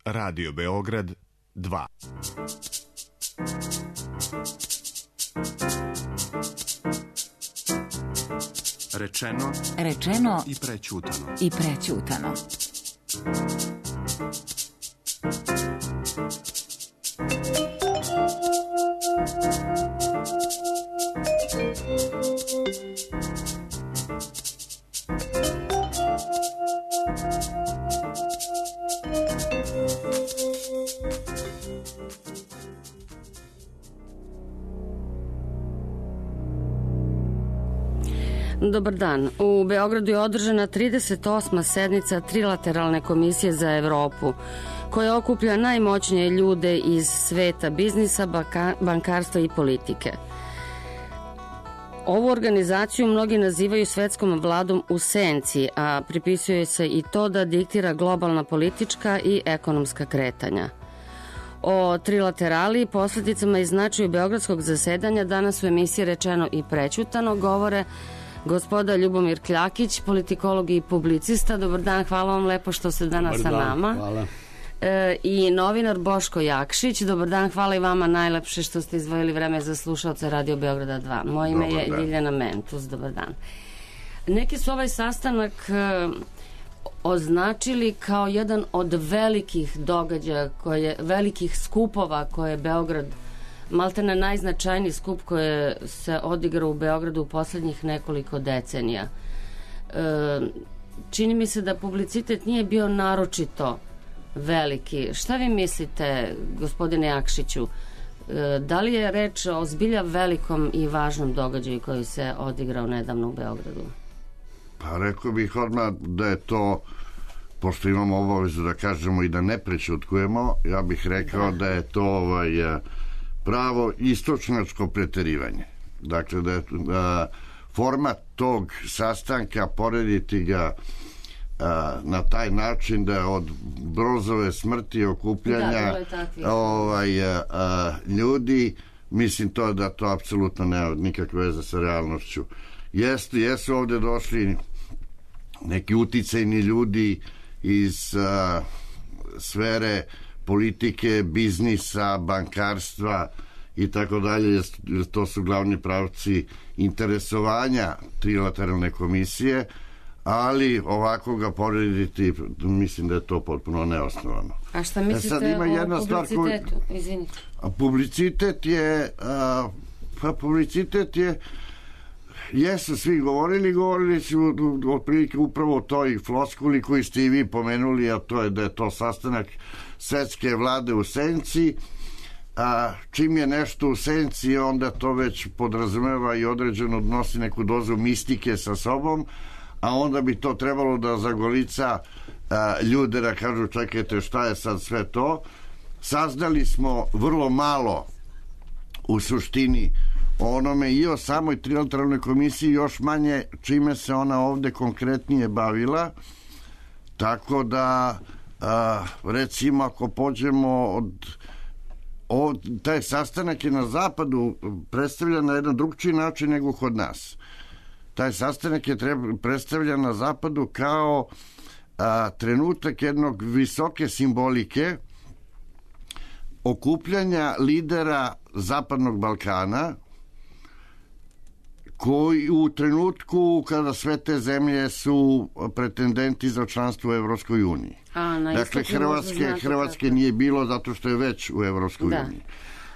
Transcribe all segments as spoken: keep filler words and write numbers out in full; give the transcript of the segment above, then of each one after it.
Radio Beograd dva. Rečeno, rečeno i prećutano. I prećutano. Dobar dan. U Beogradu je održana trideset osma sednica Trilateralne komisije za Evropu, koja okuplja najmoćnije ljude iz sveta biznisa, bankarstva i politike. Ovu organizaciju mnogi nazivaju svetskom vladom u senci, a pripisuje se i to da diktira globalna politička i ekonomska kretanja. O trilaterali, posljedicama i značaju beogradskog zasedanja danas u emisiji Rečeno i prećutano govore gospoda Ljubomir Kljakić, politikolog i publicista. Dobar dan, hvala vam lepo što ste danas sa nama. Hvala. E, I novinar Boško Jakšić. Dobar dan, hvala i vama najlepše što ste izdvojili vreme za slušalce Radio Beograda dva. Moje ime je Ljiljana Mentus. Dobar dan. Neki su ovaj sastanak e, označili kao jedan od velikih događaja, koje, velikih skupova koje je Beograd, maltene najznačajniji skup koji se odigrao u Beogradu u poslednjih nekoliko decenija. E, čini mi se da publicitet nije bio naročito veliki. Šta vi mislite, gospodine Jakšiću, e, da li je reč o zbilja velikom i važnom događaju koji se odigrao nedavno u Beogradu? Pa rekao bih odmah da je to, pošto imamo obavezu da kažemo i da ne prećutkujemo, ja bih rekao da, da je to ovaj, pravo istočnačko preterivanje. Dakle, da je a, format tog sastanka porediti ga a, na taj način da od Brozove smrti okupljanja da, ovaj, a, a, ljudi, mislim to da to apsolutno nema nikakve veze sa realnošću. Jesu, jesu ovde došli neki uticajni ljudi iz a, sfere politike, biznisa, bankarstva i tako dalje, to su glavni pravci interesovanja Trilateralne komisije, ali ovako ga porediti, mislim da je to potpuno neosnovano. A šta mislite e sad ima jedna o publicitetu? Koju, Izvinite. A publicitet je a, pa publicitet je jesu svi govorili, govorili su otprilike upravo o toj floskuli koju ste i vi pomenuli, a to je da je to sastanak svetske vlade u senci. A čim je nešto u senci, onda to već podrazumeva i određeno nosi neku dozu mistike sa sobom, a onda bi to trebalo da zagolica a, ljude da kažu čekajte šta je sad sve to. Saznali smo vrlo malo u suštini o onome i o samoj Trilateralnoj komisiji, još manje čime se ona ovde konkretnije bavila, tako da a, recimo ako pođemo od O, taj sastanak je na zapadu predstavljan na jedan drugčiji način nego kod nas. Taj sastanak je treba, predstavljan na zapadu kao a, trenutak jednog visoke simbolike okupljanja lidera Zapadnog Balkana koji u trenutku kada sve te zemlje su pretendenti za članstvo u Evropskoj uniji. A, dakle, Hrvatske, Hrvatske nije bilo zato što je već u Evropskoj da. uniji.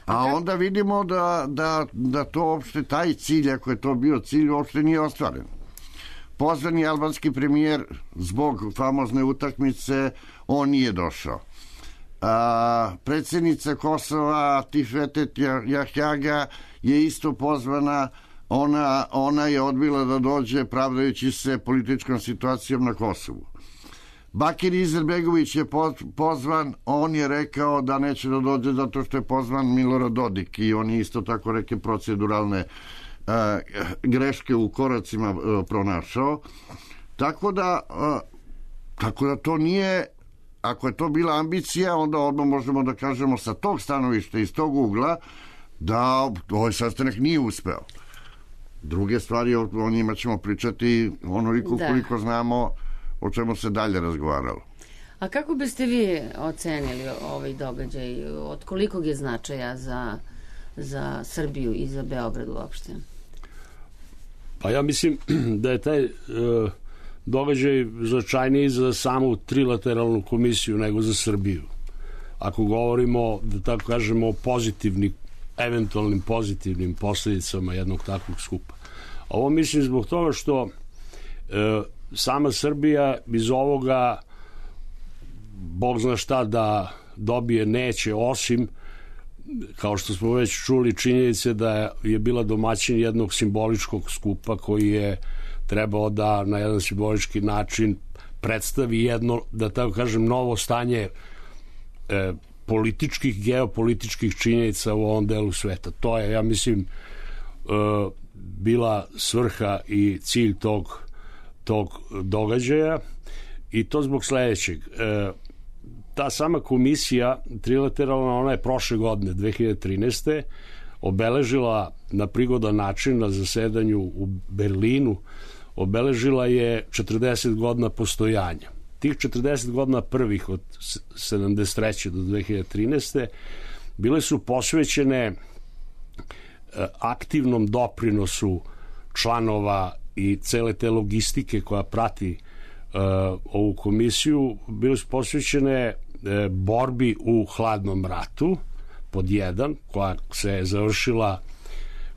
A okay. onda vidimo da, da, da to uopšte, taj cilj, ako je to bio cilj, uopšte nije ostvaren. Pozvani albanski premijer zbog famozne utakmice, on nije došao. A, predsjednica Kosova Tifetet Jahjaga je isto pozvana. Ona, ona je odbila da dođe pravdajući se političkom situacijom na Kosovu. Bakir Izetbegović je pozvan, on je rekao da neće da dođe zato što je pozvan Milorad Dodik i on je isto tako reke proceduralne uh, greške u koracima uh, pronašao. Tako da, uh, tako da to nije, ako je to bila ambicija, onda odmah možemo da kažemo sa tog stanovišta, iz tog ugla, da ovaj sastanak nije uspeo. Druge stvari, o njima ćemo pričati onoliko da. koliko znamo o čemu se dalje razgovaralo. A kako biste vi ocenili ovaj događaj? Od kolikog je značaja za, za Srbiju i za Beograd uopšte? Pa ja mislim da je taj e, događaj značajniji za samu trilateralnu komisiju nego za Srbiju. Ako govorimo, da tako kažemo, o pozitivnim, eventualnim pozitivnim posljedicama jednog takvog skupa. Ovo mislim zbog toga što e, sama Srbija iz ovoga Bog zna šta da dobije neće, osim, kao što smo već čuli, činjenice da je bila domaćin jednog simboličkog skupa koji je trebao da na jedan simbolički način predstavi jedno, da tako kažem, novo stanje e, političkih, geopolitičkih činjenica u ovom delu sveta. To je, ja mislim, e, bila svrha i cilj tog, tog događaja, i to zbog sledećeg. E, ta sama komisija trilateralna, ona je prošle godine, dve hiljade trinaeste. obeležila na prigodan način na zasedanju u Berlinu, obeležila je četrdeset godina postojanja. Tih četrdeset godina prvih od sedamdeset treće do dve hiljade trinaeste. bile su posvećene aktivnom doprinosu članova i cele te logistike koja prati uh, ovu komisiju, bile su posvećene uh, borbi u hladnom ratu, pod jedan, koja se je završila,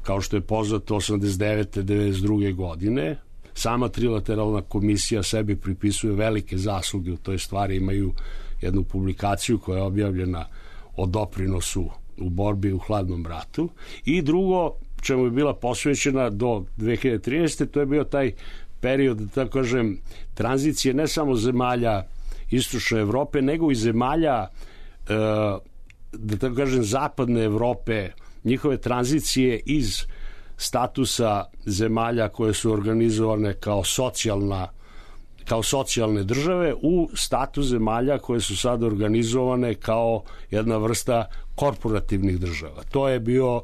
kao što je poznato, osamdeset devete devedeset druge godine. Sama trilateralna komisija sebi pripisuje velike zasluge u toj stvari, imaju jednu publikaciju koja je objavljena o doprinosu u borbi u hladnom ratu. I drugo, čemu je bila posvećena do dve hiljade trinaeste. to je bio taj period, da tako kažem, tranzicije ne samo zemalja istočne Evrope, nego i zemalja, da tako kažem, zapadne Evrope, njihove tranzicije iz statusa zemalja koje su organizovane kao socijalna kao socijalne države u status zemalja koje su sad organizovane kao jedna vrsta korporativnih država. To je bio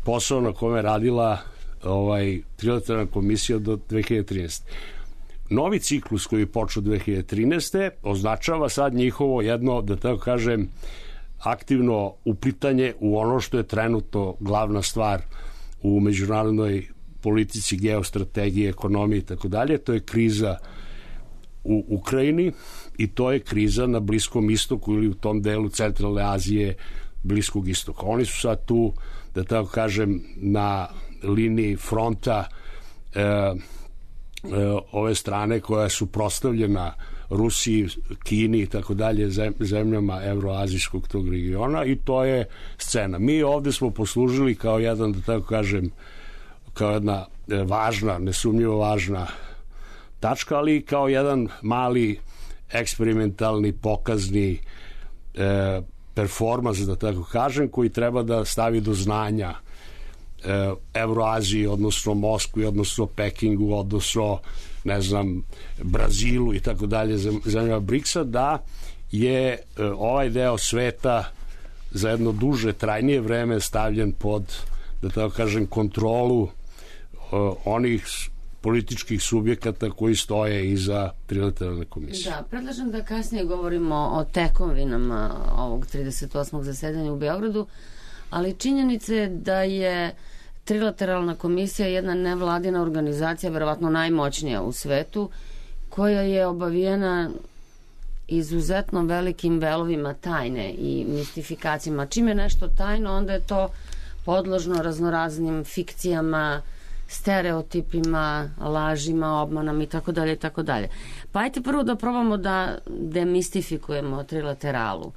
posao na kome je radila ovaj, trilateralna komisija do dve hiljade trinaeste. Novi ciklus koji je počeo dve hiljade trinaeste. označava sad njihovo jedno, da tako kažem, aktivno uplitanje u ono što je trenutno glavna stvar u međunarodnoj politici, geostrategiji, ekonomiji i tako dalje. To je kriza u Ukrajini i to je kriza na Bliskom istoku ili u tom delu centralne Azije, Bliskog istoka. Oni su sad tu, da tako kažem, na liniji fronta e, e, ove strane koja je suprotstavljena Rusiji, Kini i tako dalje, zemljama evroazijskog tog regiona, i to je scena. Mi ovde smo poslužili kao jedan, da tako kažem, kao jedna važna, nesumnjivo važna tačka, ali kao jedan mali eksperimentalni, pokazni e, performans, da tako kažem, koji treba da stavi do znanja e, Evroaziji, odnosno Moskvi, odnosno Pekingu, odnosno, ne znam, Brazilu i tako dalje, zemljama briksa, da je e, ovaj deo sveta za jedno duže, trajnije vreme stavljen pod, da tako kažem, kontrolu e, onih političkih subjekata koji stoje iza trilateralne komisije. Da, predlažem da kasnije govorimo o tekovinama ovog trideset osmog zasedanja u Beogradu, ali činjenica je da je trilateralna komisija jedna nevladina organizacija, verovatno najmoćnija u svetu, koja je obavijena izuzetno velikim velovima tajne i mistifikacijama. Čim je nešto tajno, onda je to podložno raznoraznim fikcijama, stereotipima, lažima, obmanama i tako dalje i tako dalje. Pa ajte prvo da probamo da demistifikujemo trilateralu.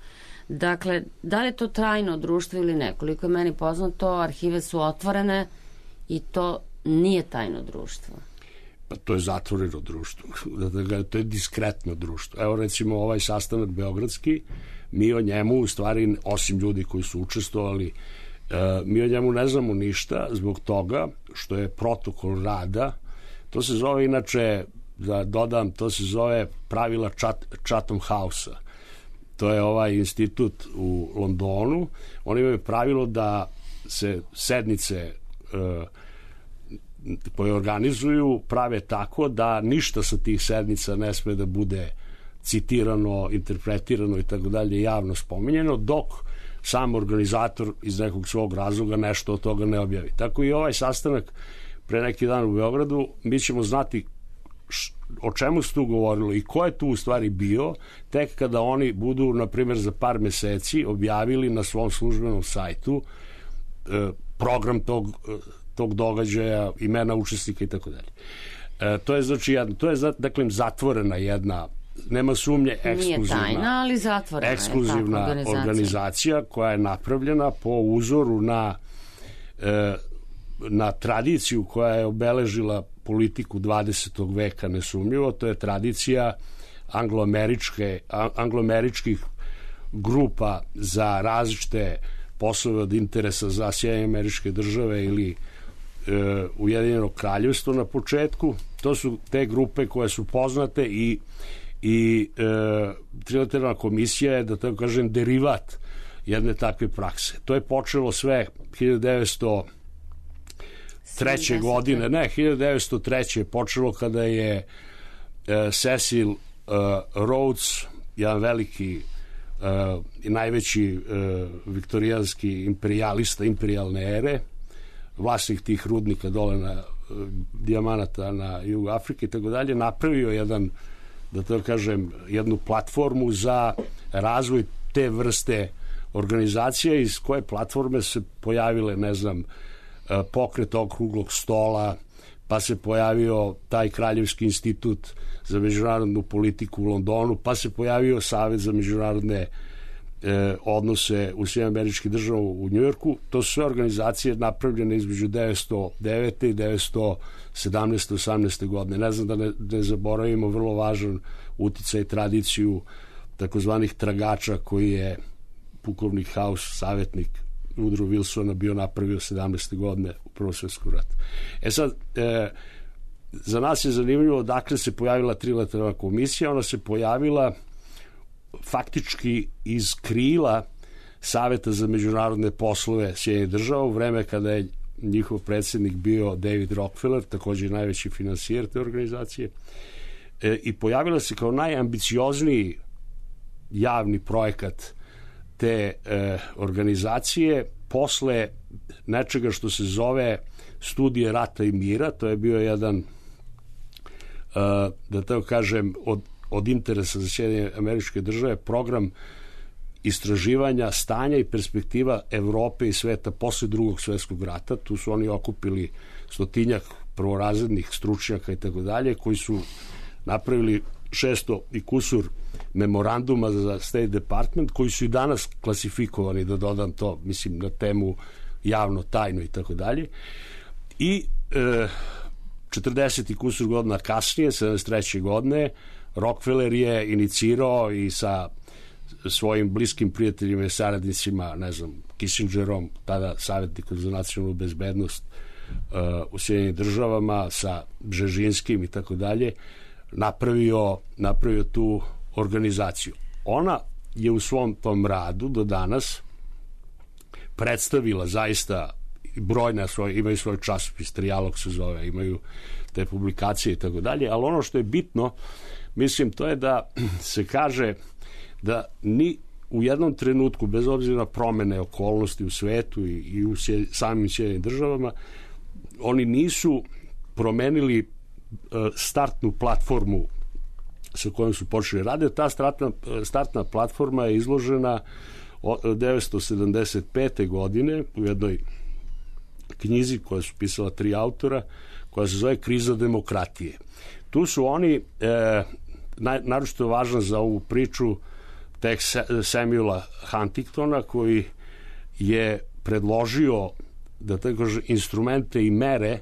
Dakle, da li je to trajno društvo ili ne? Koliko je meni poznato, arhive su otvorene i to nije tajno društvo. Pa to je zatvoreno društvo. To je diskretno društvo. Evo recimo ovaj sastanak beogradski, mi o njemu u stvari, osim ljudi koji su učestvovali, mi o njemu ne znamo ništa zbog toga što je protokol rada. To se zove, inače, da dodam, to se zove pravila Chatham House-a. To je ovaj institut u Londonu. Oni imaju pravilo da se sednice uh, koje organizuju prave tako da ništa sa tih sednica ne sme da bude citirano, interpretirano i tako dalje, javno spominjeno, dok sam organizator iz nekog svog razloga nešto od toga ne objavi. Tako i ovaj sastanak pre neki dan u Beogradu, mi ćemo znati o čemu se tu govorilo i ko je tu u stvari bio, tek kada oni budu, na primjer, za par meseci objavili na svom službenom sajtu e, program tog, tog događaja, imena učesnika i tako dalje. E, to je znači jedna, to je dakle zatvorena jedna, nema sumnje, ekskluzivna, nije tajna, ali zatvorena ekskluzivna je organizacija. organizacija koja je napravljena po uzoru na e, na tradiciju koja je obeležila politiku dvadesetog veka nesumnjivo. To je tradicija angloameričke, angloameričkih grupa za različite poslove od interesa za Sjedinjene Američke Države ili e, Ujedinjeno Kraljevstvo na početku. To su te grupe koje su poznate i i e, Trilateralna komisija je, da tako kažem, derivat jedne takve prakse. To je počelo sve hiljadu devetsto treće godine, ne, hiljadu devetsto treće je počelo kada je e, Cecil e, Rhodes, jedan veliki i e, najveći e, viktorijanski imperijalista imperijalne ere, vlasnik tih rudnika dole na e, dijamanata na jugu Afrike i tako dalje, napravio jedan, da to kažem, jednu platformu za razvoj te vrste organizacije, iz koje platforme se pojavile, ne znam, pokret okruglog stola, pa se pojavio taj Kraljevski institut za međunarodnu politiku u Londonu, pa se pojavio Savet za međunarodne e, odnose u Sjedinjenim Američkim Državama u Njujorku. To su sve organizacije napravljene između devetsto devete i devetsto sedamnaeste osamnaeste godine. Ne znam da ne, ne zaboravimo vrlo važan uticaj i tradiciju takozvanih tragača koji je pukovnik House, savjetnik Woodrow Wilsona, bio napravio sedamnaeste godine u Prvom svjetskom ratu. E sad, e, za nas je zanimljivo odakle se pojavila Trilateralna komisija. Ona se pojavila faktički iz krila Saveta za međunarodne poslove Sjedinjenih Država u vreme kada je njihov predsjednik bio David Rockefeller, također i najveći finansijer te organizacije, e, i pojavila se kao najambiciozniji javni projekat te e, organizacije posle nečega što se zove Studije rata i mira. To je bio jedan, e, da tako kažem, od, od interesa za Sjedinjene Američke Države program istraživanja stanja i perspektiva Evrope i sveta posle Drugog svjetskog rata. Tu su oni okupili stotinjak prvorazrednih stručnjaka i tako dalje, koji su napravili šesto i kusur memoranduma za State Department, koji su i danas klasifikovani, da dodam to, mislim, na temu javno, tajno i tako dalje. I e, četrdeset i kusur godina kasnije, sedamdeset treće godine, Rockefeller je inicirao i sa svojim bliskim prijateljima i saradnicima, ne znam, Kissingerom, tada savjetnikom za nacionalnu bezbednost uh, u Sjedinjenim Državama, sa Bžežinskim i tako dalje, napravio, napravio tu organizaciju. Ona je u svom tom radu do danas predstavila zaista brojne svoje, imaju svoj časopis, Trijalog se zove, imaju te publikacije i tako dalje, ali ono što je bitno, mislim, to je da se kaže da ni u jednom trenutku, bez obzira na promene okolnosti u svetu i, i u sje, samim Sjedinjenim Državama, oni nisu promenili uh, startnu platformu sa kojom su počeli raditi. Ta startna, startna platforma je izložena devetsto sedamdeset pete godine u jednoj knjizi koja su pisala tri autora, koja se zove Kriza demokratije. Tu su oni, e, naj, naročito važno za ovu priču, tekst Samuela Huntingtona, koji je predložio, da tako kaže, instrumente i mere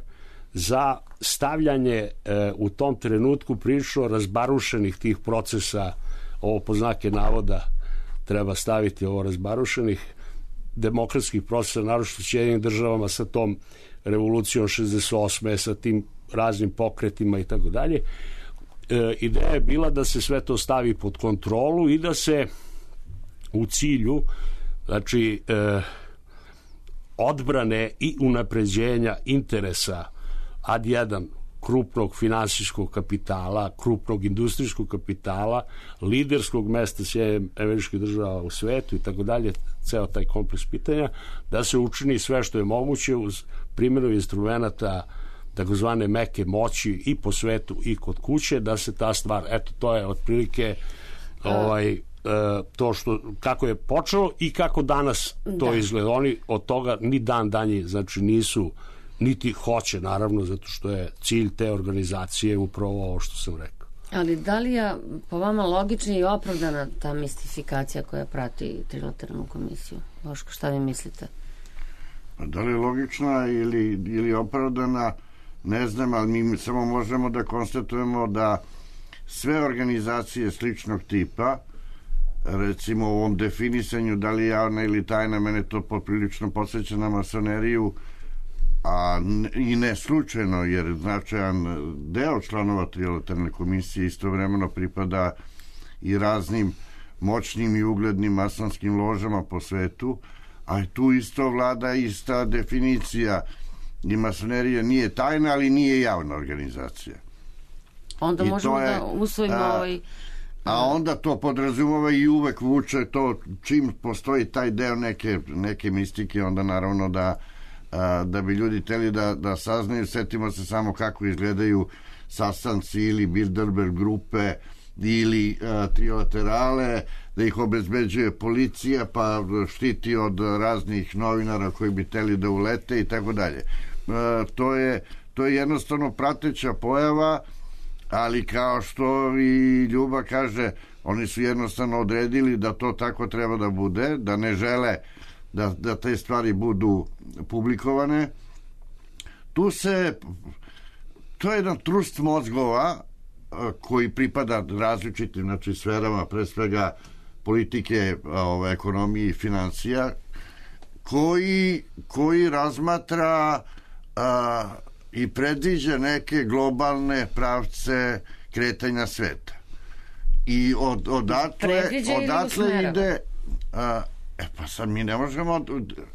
za stavljanje e, u tom trenutku prilično razbarušenih tih procesa, ovo po znake navoda treba staviti, ovo razbarušenih demokratskih procesa, naročito u Sjedinjenim Državama sa tom revolucijom šezdeset osme, sa tim raznim pokretima i tako dalje. Ideja je bila da se sve to stavi pod kontrolu i da se u cilju, znači, e, odbrane i unapređenja interesa ad jedan krupnog finansijskog kapitala, krupnog industrijskog kapitala, liderskog mesta Sjedinjenih Američkih Država u svetu i tako dalje, ceo taj kompleks pitanja, da se učini sve što je moguće uz primjenu instrumenta takozvane meke moći i po svetu i kod kuće, da se ta stvar, eto, to je otprilike ovaj, to što, kako je počelo i kako danas to da. izgleda. Oni od toga ni dan danji, znači nisu, niti hoće, naravno, zato što je cilj te organizacije upravo ovo što sam rekao. Ali da li je po vama logična i opravdana ta mistifikacija koja prati trilateralnu komisiju? Boško, šta vi mislite? Da li je logična ili, ili opravdana, ne znam, ali mi samo možemo da konstatujemo da sve organizacije sličnog tipa, recimo u ovom definisanju da li je javna ili tajna, mene to poprilično podsjeća na masoneriju, a i ne slučajno, jer značajan deo članova trilateralne komisije istovremeno pripada i raznim moćnim i uglednim masonskim ložama po svetu, a tu isto vlada ista definicija i masonerija nije tajna, ali nije javna organizacija. Onda I možemo je, da usvojimo a, ovaj... A onda to podrazumeva i uvek vuče to, čim postoji taj deo neke, neke mistike, onda naravno da a, da bi ljudi teli da, da saznaju. Setimo se samo kako izgledaju sastanci ili Bilderberg grupe ili a, trilaterale, da ih obezbeđuje policija pa štiti od raznih novinara koji bi teli da ulete i tako dalje. To je, to je jednostavno prateća pojava, ali kao što i Ljuba kaže, oni su jednostavno odredili da to tako treba da bude, da ne žele da, da te stvari budu publikovane. Tu se, to je jedan trust mozgova koji pripada različitim, znači, sferama, pre svega politike, ove, ekonomije i financija, koji, koji razmatra a, i predviđa neke globalne pravce kretanja sveta. I od, odatle, odatle ide... A, e pa sad mi ne možemo...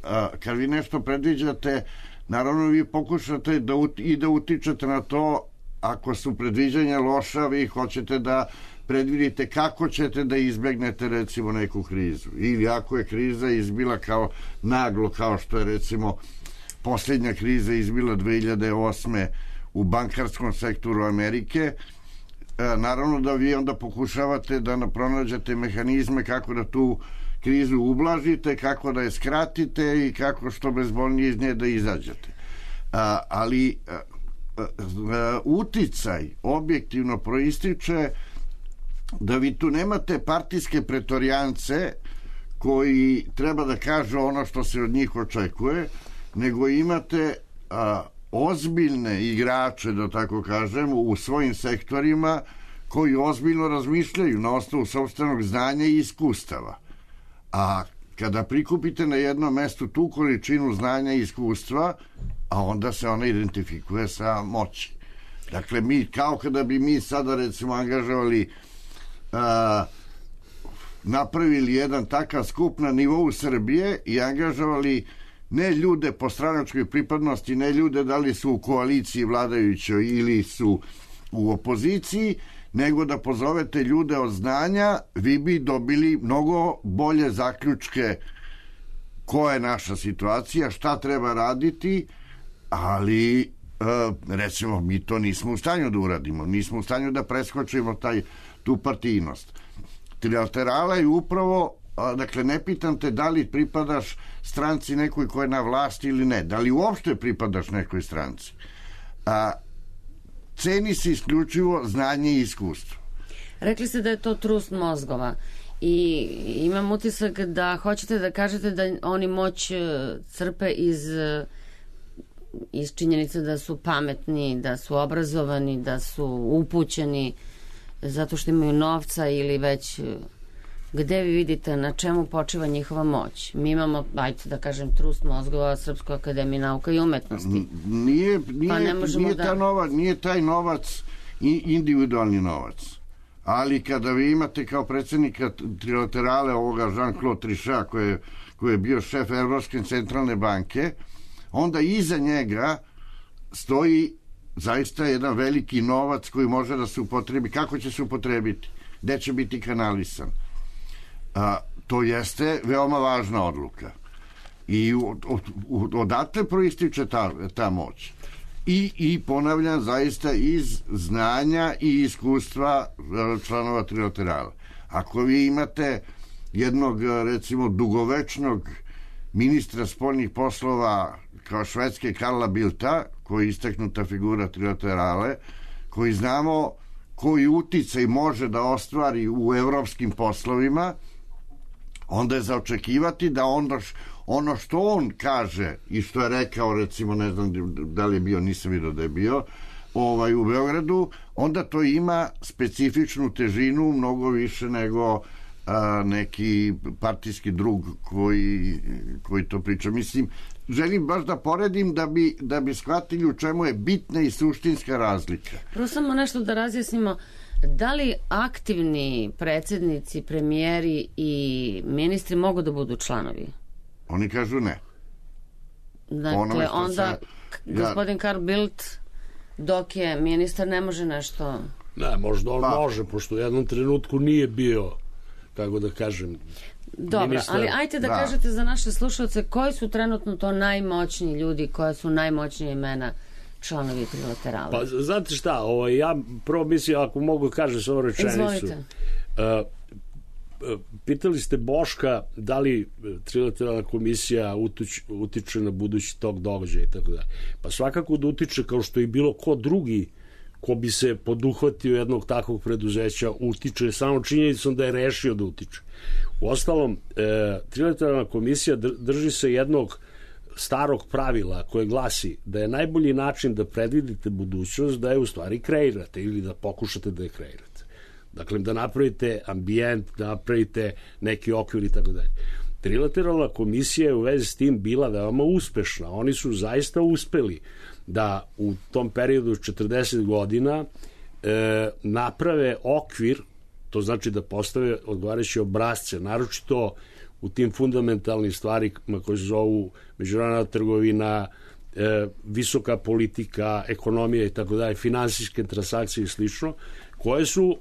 A, kad vi nešto predviđate, naravno vi pokušate da ut, i da utičete na to. Ako su predviđanja loša, vi hoćete da predvidite kako ćete da izbegnete recimo neku krizu. Ili ako je kriza izbila kao naglo, kao što je recimo posljednja kriza izbila dve hiljade osme u bankarskom sektoru Amerike, naravno da vi onda pokušavate da pronađete mehanizme kako da tu krizu ublažite, kako da je skratite i kako što bezbolnije iz nje da izađete. A, ali a, a, uticaj objektivno proističe da vi tu nemate partijske pretorijance koji treba da kažu ono što se od njih očekuje, nego imate a, ozbiljne igrače, da tako kažem, u svojim sektorima koji ozbiljno razmišljaju na osnovu sopstvenog znanja i iskustava. A kada prikupite na jednom mestu tu količinu znanja i iskustva, a onda se ona identifikuje sa moći. Dakle, mi, kao kada bi mi sada recimo angažovali a, napravili jedan takav skup na nivou Srbije i angažovali ne ljude po stranačkoj pripadnosti, ne ljude da li su u koaliciji vladajućoj ili su u opoziciji, nego da pozovete ljude od znanja, vi bi dobili mnogo bolje zaključke koja je naša situacija, šta treba raditi, ali recimo mi to nismo u stanju da uradimo, nismo u stanju da preskočimo taj, tu partijnost. Trilaterala je upravo, dakle, ne pitam te da li pripadaš stranci nekoj koja je na vlasti ili ne, da li uopšte pripadaš nekoj stranci. A, ceni se isključivo znanje i iskustvo. Rekli ste da je to trust mozgova i imam utisak da hoćete da kažete da oni moć crpe iz, iz činjenice da su pametni, da su obrazovani, da su upućeni zato što imaju novca ili već... Gde vi vidite na čemu počiva njihova moć? Mi imamo, ajde da kažem, trust mozgova Srpskoj akademiji nauka i umetnosti. Nije, nije, pa ne nije, da... ta novac, nije taj novac individualni novac. Ali kada vi imate kao predsjednika trilaterale ovoga Jean-Claude Trichet, koji je, koji je bio šef Evropske centralne banke, onda iza njega stoji zaista jedan veliki novac koji može da se upotrebi. Kako će se upotrebiti? Gde će biti kanalisan? A, to jeste veoma važna odluka. I od, od, odatle proističe ta, ta moć. I, I ponavljam, zaista iz znanja i iskustva članova trilaterala. Ako vi imate jednog, recimo, dugovečnog ministra spoljnih poslova kao Švedske Karla Bildta, koji je istaknuta figura trilaterale, koji znamo koji uticaj može da ostvari u evropskim poslovima, onda je za očekivati da onda ono što on kaže i što je rekao, recimo, ne znam da li je bio, nisam vidio da je bio, ovaj, u Beogradu, onda to ima specifičnu težinu mnogo više nego a, neki partijski drug koji, koji to priča. Mislim, želim baš da poredim da bi, da bi shvatili u čemu je bitna i suštinska razlika. Prvo samo nešto da razjasnimo. Da li aktivni predsjednici, premijeri i ministri mogu da budu članovi? Oni kažu ne. Dakle, onda se, ja, gospodin Karl Bildt, dok je ministar, ne može nešto... Ne, možda on pa, može, pošto u jednom trenutku nije bio, kako da kažem, dobro, ministar. Ali ajte da, da kažete za naše slušalce koji su trenutno to najmoćniji ljudi, koja su najmoćnije imena članovi trilaterala. Pa znate šta, ovaj, ja prvo mislim, ako mogu kažem svoju rečenicu. Izvolite. Uh, pitali ste Boška da li trilateralna komisija utiče, utiče na budući tog događaja i tako dalje. Pa svakako da utiče, kao što i bilo ko drugi ko bi se poduhvatio jednog takvog preduzeća, utiče samo činjenicom da je rešio da utiče. Uostalom, e, trilateralna komisija drži se jednog starog pravila koje glasi da je najbolji način da predvidite budućnost da je u stvari kreirate ili da pokušate da je kreirate. Dakle, da napravite ambijent, da napravite neki okvir i tako dalje. Trilateralna komisija je u vezi s tim bila veoma uspešna. Oni su zaista uspeli da u tom periodu četrdeset godina e, naprave okvir, to znači da postave odgovarajuće obrazce, naročito u tim fundamentalnim stvarima koje se zovu međunarodna trgovina, e, visoka politika, ekonomija i tako dalje, finansijske transakcije i slično, koje su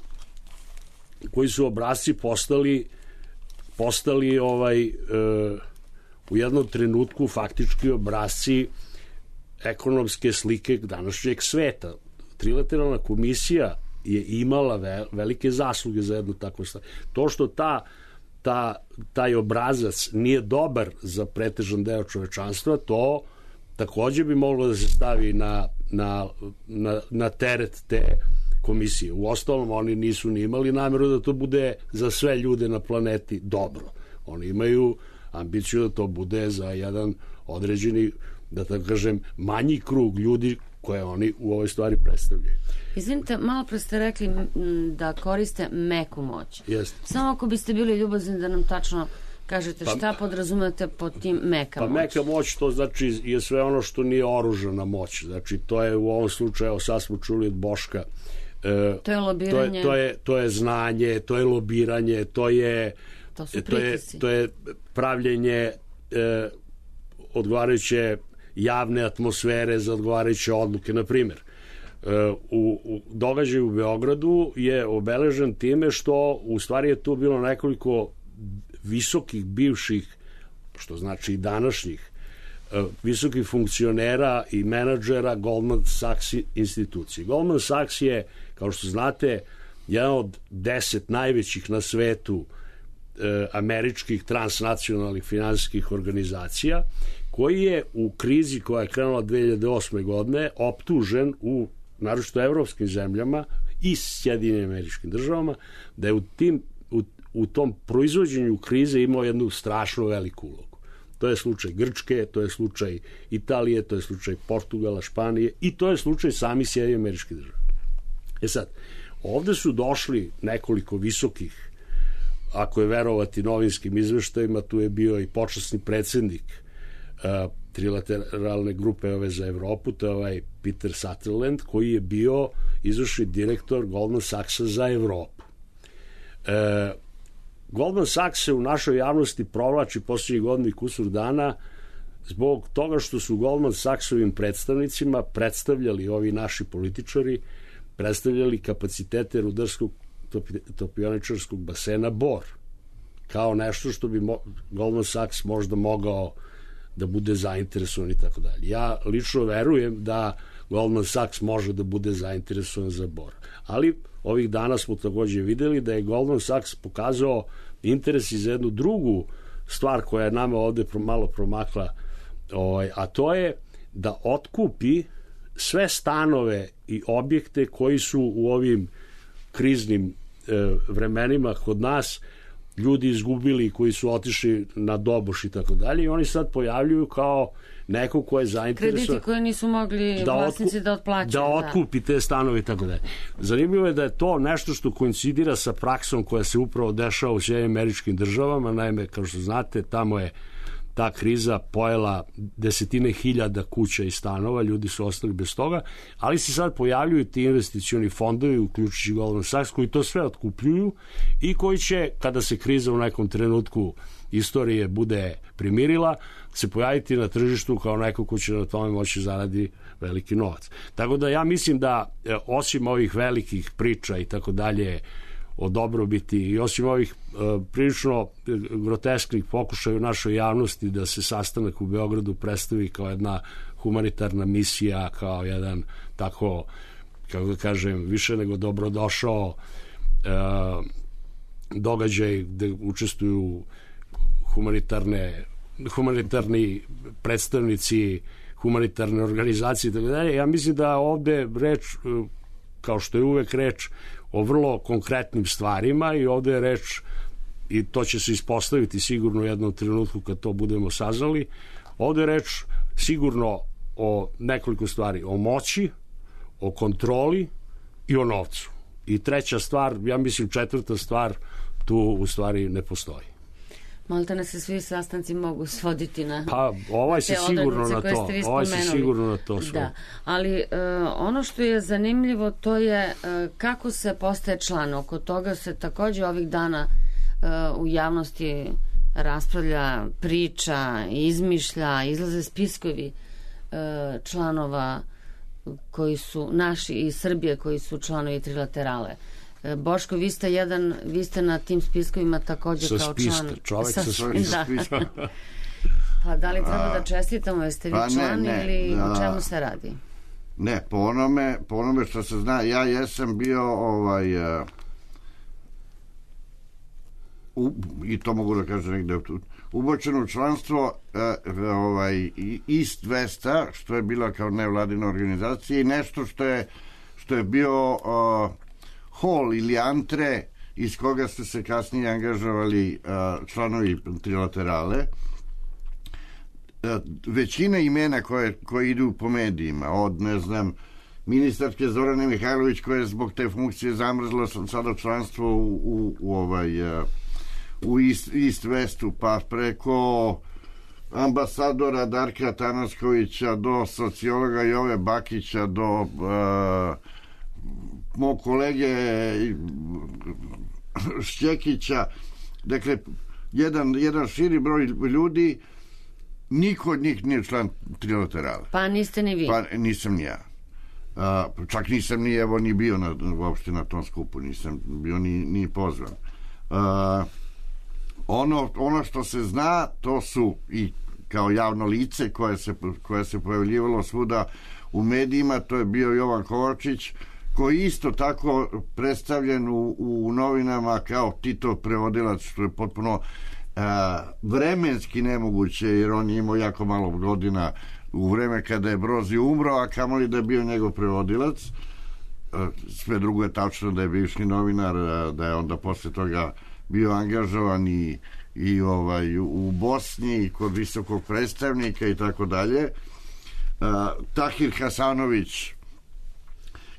koji su obrazci postali postali ovaj e, u jednom trenutku faktički obrazci ekonomske slike današnjeg sveta. Trilateralna komisija je imala ve, velike zasluge za jednu takvu stvar. To što ta, ta, taj obrazac nije dobar za pretežan deo čovečanstva, to takođe bi moglo da se stavi na, na, na, na teret te komisije. U ostalom, oni nisu ni imali nameru da to bude za sve ljude na planeti dobro. Oni imaju ambiciju da to bude za jedan određeni, da tako kažem, manji krug ljudi koje oni u ovoj stvari predstavljaju. Izvinite, malo pre ste rekli da koriste meku moć. Jeste. Samo ako biste bili ljubazni da nam tačno kažete šta pa, podrazumete pod tim meka pa moć. Pa meka moć to znači je sve ono što nije oružana moć. Znači to je u ovom slučaju, evo sad smo čuli od Boška, to je lobiranje. To je, to je, to je znanje, to je lobiranje, to je to su to je, to je pravljenje e, odgovarajuće javne atmosfere za odgovarajuće odluke. Na primjer, e, u, u događaju u Beogradu je obeležen time što u stvari je tu bilo nekoliko visokih bivših, što znači i današnjih, visokih funkcionera i menadžera Goldman Sachs institucije. Goldman Sachs je, kao što znate, jedan od deset najvećih na svetu e, američkih transnacionalnih finansijskih organizacija, koji je u krizi koja je krenula dve hiljade osme. godine optužen u naročito evropskim zemljama i Sjedinjenim Američkim Državama da je u, tim, u, u tom proizvođenju krize imao jednu strašno veliku ulogu. To je slučaj Grčke, to je slučaj Italije, to je slučaj Portugala, Španije i to je slučaj sami Sjedinjenih Američkih Država. E sad, ovde su došli nekoliko visokih, ako je verovati novinskim izveštajima, tu je bio i počasni predsednik uh, trilateralne grupe ove za Evropu, to je ovaj Peter Sutherland, koji je bio izvršni direktor Goldman Sachsa za Evropu. Uh, Goldman Sachs se u našoj javnosti provlači posljednjih godina i kusur dana zbog toga što su Goldman Sachsovim predstavnicima predstavljali ovi naši političari, predstavljali kapacitete rudarskog topioničarskog basena Bor kao nešto što bi mo Goldman Sachs možda mogao da bude zainteresovan i tako dalje. Ja lično verujem da Goldman Sachs može da bude zainteresovan za Bor. Ali ovih dana smo takođe videli da je Goldman Sachs pokazao interes i za jednu drugu stvar koja je nama ovde malo promakla, ovaj, a to je da otkupi sve stanove i objekte koji su u ovim kriznim e, vremenima kod nas ljudi izgubili, koji su otišli na doboš i tako dalje, i oni sad pojavljuju kao neko ko je zainteresovan. Krediti koje nisu mogli da vlasnici da otplaćaju. Da otkupi te stanove i tako dalje. Zanimljivo je da je to nešto što koincidira sa praksom koja se upravo dešava u Sjedinjenim Američkim Državama. Naime, kao što znate, tamo je ta kriza pojela desetine hiljada kuća i stanova, ljudi su ostali bez toga, ali se sad pojavljuju ti investicioni fondovi, uključujući Goldman Sachs, koji to sve otkupljuju i koji će, kada se kriza u nekom trenutku istorije bude primirila, se pojaviti na tržištu kao neko ko će na tome moći zaradi veliki novac. Tako da ja mislim da osim ovih velikih priča i tako dalje o dobrobiti i osim ovih e, prilično grotesknih pokušaja u našoj javnosti da se sastanak u Beogradu predstavi kao jedna humanitarna misija, kao jedan tako, kako da kažem, više nego dobrodošao e, događaj gde učestvuju humanitarne humanitarni predstavnici humanitarne organizacije i tako dalje. Ja mislim da ovde reč, kao što je uvek reč, o vrlo konkretnim stvarima i ovde je reč, i to će se ispostaviti sigurno u jednom trenutku kad to budemo saznali, ovde je reč sigurno o nekoliko stvari, o moći, o kontroli i o novcu. I treća stvar, ja mislim četvrta stvar, tu u stvari ne postoji. Malta ne se svi sastanci mogu svoditi na pa ovaj se sigurno na to ovaj se sigurno na to da, ali uh, ono što je zanimljivo to je uh, kako se postaje član. Oko toga se takođe ovih dana uh, u javnosti raspravlja, priča, izmišlja, izlaze spiskovi uh, članova koji su naši iz Srbije, koji su članovi trilaterale. Boško, vi ste jedan, vi ste na tim spiskovima takođe sa kao spiska, član. Čovek sa, sa spiska. Da. Pa da li treba da čestitamo, jeste vi pa član ne, ne, ili da, o čemu se radi? Ne, po onome, po onome što se zna, ja jesam bio ovaj, uh, u, i to mogu da kažem negde ubočeno u članstvo uh, ovaj, East Westa, što je bila kao nevladina organizacija, i nešto što je, što je bio uh, hol ili antre iz koga su se kasnije angažovali uh, članovi trilaterale. Uh, većina imena koje, koje idu po medijima, od, ne znam, ministarke Zorane Mihajlović, koja je zbog te funkcije zamrzla sada članstvo u, u, u, ovaj, uh, u East, East Westu, pa preko ambasadora Darka Tanaskovića do sociologa Jove Bakića, do uh, mog kolege Šćekića, dakle jedan, jedan širi broj ljudi, niko od njih nije član trilaterale. Pa niste ni vi? Pa nisam ni ja. A, čak nisam ni evo ni bio na, uopšte na tom skupu, nisam bio ni, ni pozvan. A, ono, ono što se zna, to su i kao javno lice koje se, koje se pojavljivalo svuda u medijima, to je bio Jovan Kovačić, koji isto tako predstavljen u, u novinama kao Titov prevodilac, što je potpuno a, vremenski nemoguće, jer on je imao jako malo godina u vreme kada je Brozi umro, a kamoli da je bio njegov prevodilac. A, sve drugo je tačno da je bivši novinar, a, da je onda posle toga bio angažovan i, i ovaj, u Bosni i kod visokog predstavnika i tako dalje. Tahir Hasanović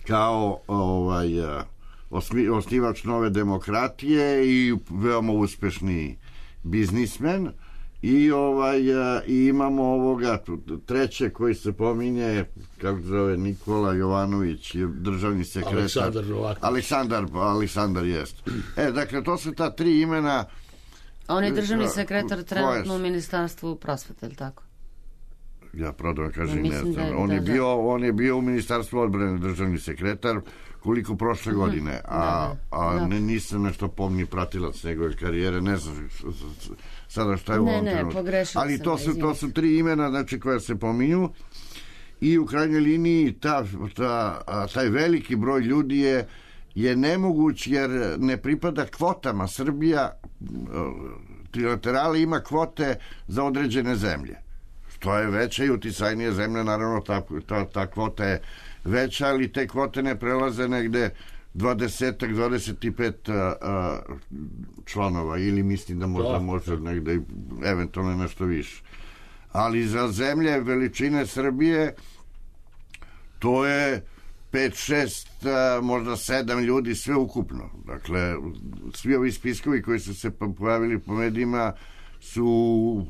kao ovaj, osnivač Nove demokratije i veoma uspešni biznismen, i ovaj i imamo ovoga treće koji se pominje, kako se zove, Nikola Jovanović, državni sekretar. Aleksandar Novaković. Aleksandar, Aleksandar jest. E, dakle, to su ta tri imena. On je državni sekretar trenutno u Ministarstvu prosvete, ili tako? Ja prodam kažem, Ja ne mislim znam. da je- On je da, da. bio, on je bio u Ministarstvu odbrane državni sekretar koliko prošle godine, a, Da, da, a da. ne, nisam nešto pomni pratilac njegove karijere, ne znam s- s- s- sada šta je u Ne, ovom ne, trenutku. pogrešila Ali sam, to su, to izvinite. su tri imena, znači, koja se pominju i u krajnjoj liniji ta, ta, a, taj veliki broj ljudi je je nemoguć jer ne pripada kvotama. Srbija trilaterale ima kvote za određene zemlje. Što je veća i uticajnija zemlja, naravno ta, ta, ta kvota je veća, ali te kvote ne prelaze negde dvadeset do dvadeset pet a, a, članova ili mislim da možda Da. može negde i eventualno nešto više. Ali za zemlje veličine Srbije to je pet šest, možda sedam ljudi sve ukupno. Dakle, svi ovi spiskovi koji su se pojavili po medijima su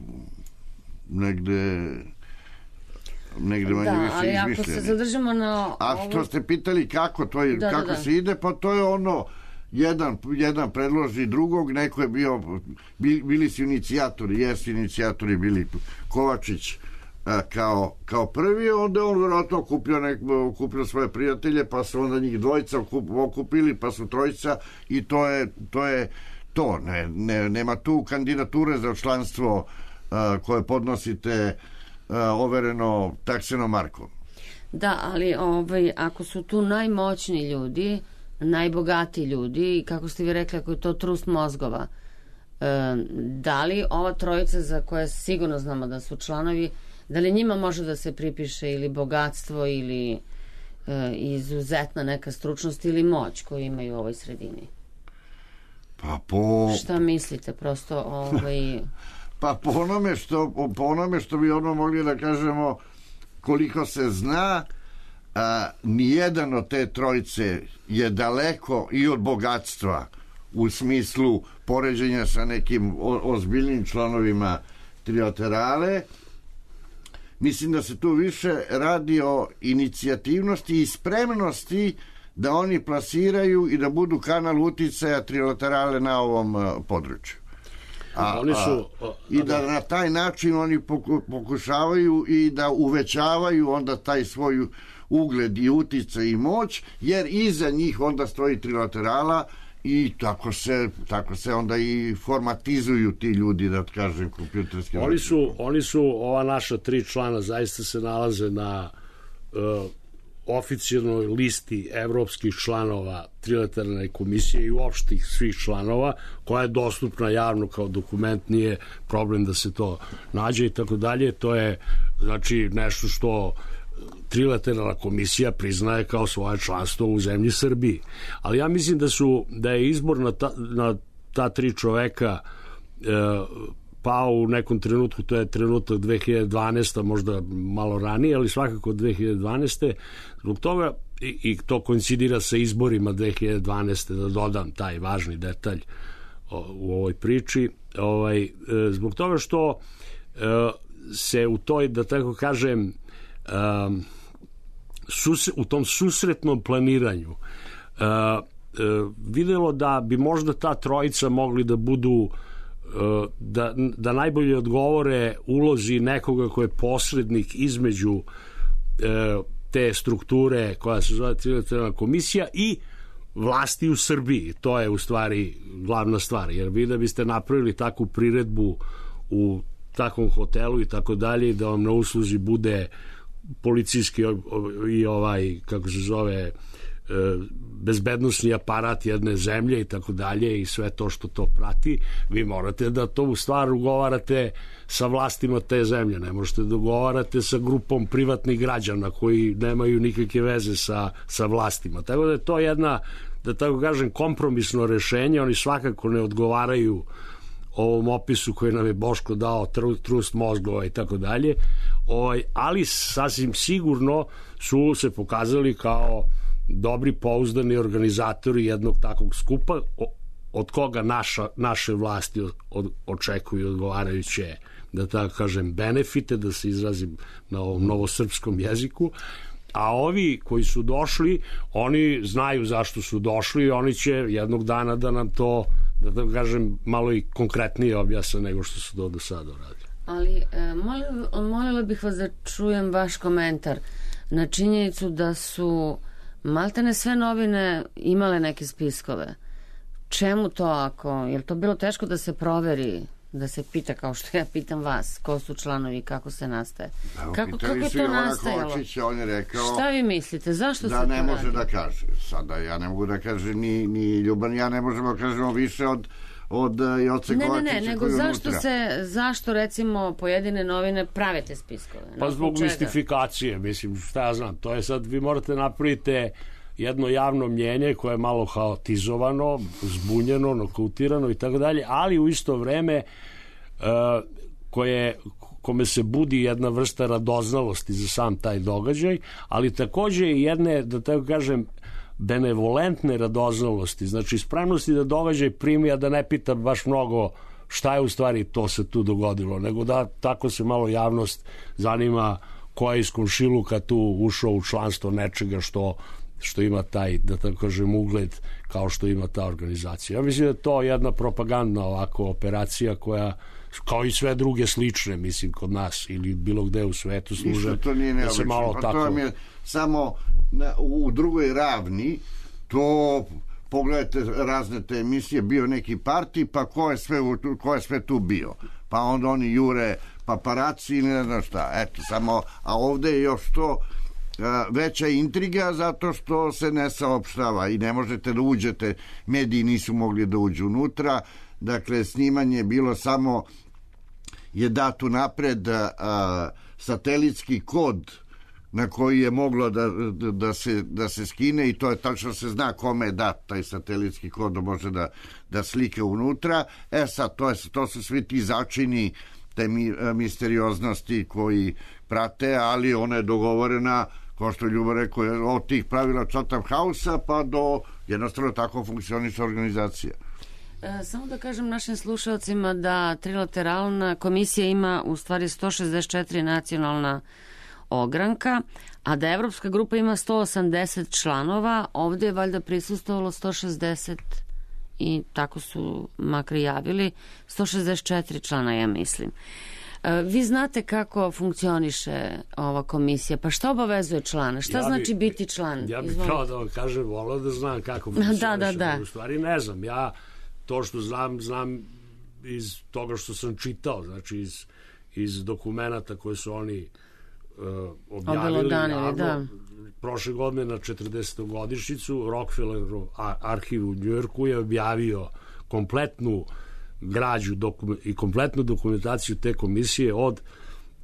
negde negde manje Da, više ali ako izmišljeni. se zadržimo na A ovo- što ste pitali kako to je, Da, da, kako da. se ide, pa to je ono jedan, jedan predloži drugog, neko je bio bili, bili su inicijatori, jesu inicijatori bili Kovačić a, kao, kao prvi, onda on vjerojatno okupio, nek, okupio svoje prijatelje, pa su onda njih dvojica okup, okupili, pa su trojica i to je to. Je to. Ne, ne, nema tu kandidature za članstvo a, koje podnosite a, overeno taksenom markom. Da, ali ovaj, ako su tu najmoćni ljudi, najbogatiji ljudi, kako ste vi rekli, ako je to trust mozgova, e, da li ova trojica za koje sigurno znamo da su članovi, da li njima može da se pripiše ili bogatstvo ili e, izuzetna neka stručnost ili moć koju imaju u ovoj sredini? Pa po... Šta mislite, prosto ovaj... Pa po onome što, po onome što bi ono mogli da kažemo koliko se zna, a, nijedan od te trojice je daleko i od bogatstva u smislu poređenja sa nekim o, ozbiljnim članovima trilaterale. Mislim da se tu više radi o inicijativnosti i spremnosti da oni plasiraju i da budu kanal uticaja trilaterale na ovom a, području. A, Oni su, a, i da na taj način oni poku, pokušavaju i da uvećavaju onda taj svoj ugled i uticaj i moć, jer iza njih onda stoji trilaterala i tako se, tako se onda i formatizuju ti ljudi, da kažem, kompjuterski. Oni su, oni su, ova naša tri člana zaista se nalaze na uh, oficijalnoj listi evropskih članova trilateralne komisije i uopštih svih članova, koja je dostupna javno kao dokument, nije problem da se to nađe i tako dalje. To je znači nešto što trilateralna komisija priznaje kao svoje članstvo u zemlji Srbiji. Ali ja mislim da su da je izbor na ta, na ta tri čoveka e, pao u nekom trenutku, to je trenutak dve hiljade dvanaeste, možda malo ranije, ali svakako dve hiljade dvanaeste. Zbog toga, i, i to koincidira sa izborima dve hiljade dvanaeste, da dodam taj važni detalj o, u ovoj priči, ovaj, e, zbog toga što e, se u toj, da tako kažem, Um, sus, u tom susretnom planiranju uh, uh, videlo da bi možda ta trojica mogli da budu uh, da, da najbolje odgovore ulozi nekoga ko je posrednik između uh, te strukture koja se zove trilateralna komisija i vlasti u Srbiji. To je u stvari glavna stvar, jer vi da biste napravili takvu priredbu u takvom hotelu i tako dalje, da vam na usluzi bude policijski i ovaj, kako se zove, bezbednosni aparat jedne zemlje i tako dalje i sve to što to prati, vi morate da to u stvar ugovarate sa vlastima te zemlje, ne možete da ugovarate sa grupom privatnih građana koji nemaju nikakve veze sa, sa vlastima. Tako da je to jedna, da tako kažem, kompromisno rešenje, oni svakako ne odgovaraju ovom opisu koji nam je Boško dao, trust mozgova i tako dalje, ali sasvim sigurno su se pokazali kao dobri, pouzdani organizatori jednog takvog skupa, od koga naša, naše vlasti od, očekuju odgovarajuće, da tako kažem, benefite, da se izrazim na ovom novosrpskom jeziku, a ovi koji su došli, oni znaju zašto su došli i oni će jednog dana da nam to, da tako kažem, malo i konkretnije objasne nego što su to do sada radili. Ali e, molila, molila bih vas da čujem vaš komentar na činjenicu da su maltene sve novine imale neke spiskove. Čemu to ako? Je li to bilo teško da se proveri, da se pita kao što ja pitam vas, ko su članovi i kako se nastaje? Evo, kako kako je to nastajalo? Kočić, on je rekao šta vi mislite? Zašto da se ne to može radi? da kaže. Sada ja ne mogu da kažem ni, ni Ljuban, ja ne možemo da kažemo više od od Joce ne, Kovačića. Ne, ne, nego zašto unutra. se, zašto recimo pojedine novine prave te spiskove? Pa zbog mistifikacije, mislim, šta ja znam, to je sad, vi morate napravite jedno javno mnjenje koje je malo haotizovano, zbunjeno, nokautirano i tako dalje, ali u isto vreme uh, koje, kome se budi jedna vrsta radoznalosti za sam taj događaj, ali takođe i jedne, da tako kažem, benevolentne radoznalosti, znači spremnosti da događaj primi, a da ne pita baš mnogo šta je u stvari to se tu dogodilo, nego da tako se malo javnost zanima ko je iz komšiluka tu ušao u članstvo nečega što, što ima taj, da tako kažem, ugled kao što ima ta organizacija. Ja mislim da je to jedna propagandna ovako operacija koja, kao i sve druge slične, mislim, kod nas ili bilo gde u svetu služe da se malo pa tako... To vam je samo na, u drugoj ravni, to pogledajte razne te emisije, bio neki partij, pa ko je sve, ko je sve tu bio, pa onda oni jure paparaci ili ne znam šta, eto samo, a ovde je još to a, veća intriga zato što se ne saopštava i ne možete da uđete, mediji nisu mogli da uđu unutra, dakle snimanje je bilo samo je dat unapred a, satelitski kod na koji je moglo da, da, da, se, da se skine i to je tačno se zna kome je dat taj satelitski kod da može da, da slike unutra. E sad, to, je, to su svi ti začini te mi, misterioznosti koji prate, ali ona je dogovorena, kao što je Ljubo rekao, od tih pravila Chatham House-a pa do jednostavno tako funkcioniše organizacija. E, samo da kažem našim slušalcima da trilateralna komisija ima u stvari sto šezdeset četiri nacionalna ogranka, a da Evropska grupa ima sto osamdeset članova, ovde je valjda prisustvovalo sto šezdeset i tako su makar javili sto šezdeset četiri člana, ja mislim. E, vi znate kako funkcioniše ova komisija, pa šta obavezuje člana? Šta ja bi, znači biti član? Ja bih pravo da vam kažem, volao da znam kako funkcioniše. Da, da, da. U stvari ne znam, ja to što znam, znam iz toga što sam čitao, znači iz, iz dokumenta koje su oni Uh, objavili javno, da. Prošle godine na četrdesetogodišnjicu Rockefellerov arhiv u Njujorku je objavio kompletnu građu dokum, i kompletnu dokumentaciju te komisije od